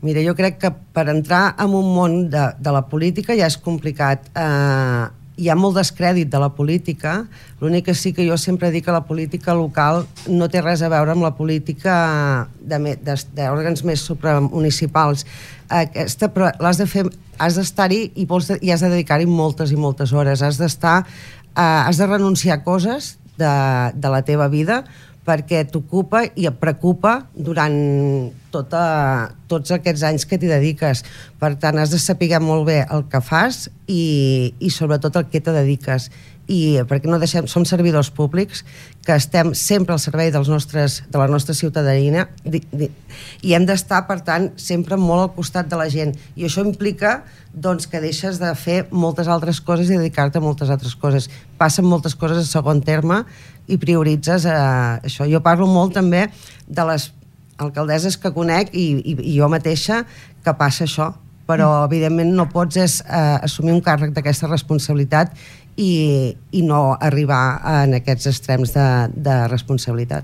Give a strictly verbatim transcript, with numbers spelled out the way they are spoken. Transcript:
Mira, jo crec que per entrar en un món de, de la política ja és complicat. Eh, hi ha molt descrèdit de la política. L'únic que sí que jo sempre dic que la política local no té res a veure amb la política d'òrgans més supramunicipals. Aquesta, però l'has de fer, has d'estar-hi i, vols, i has de dedicar-hi moltes i moltes hores. Has d'estar, eh, has de renunciar a coses de, de la teva vida perquè t'ocupa i et preocupa durant tota, tots aquests anys que t'hi dediques. Per tant, has de saber molt bé el que fas i, i sobretot el que te dediques. I perquè no deixem, som servidors públics que estem sempre al servei dels nostres, de la nostra ciutadania di, di, i hem d'estar, per tant, sempre molt al costat de la gent. I això implica doncs, que deixes de fer moltes altres coses i dedicar-te a moltes altres coses. Passen moltes coses a segon terme i prioritzes eh, això. Jo parlo molt també de les alcaldesses que conec i, i, i jo mateixa que passa això, però mm. evidentment no pots és, eh, assumir un càrrec d'aquesta responsabilitat i, i no arribar en aquests extrems de, de responsabilitat.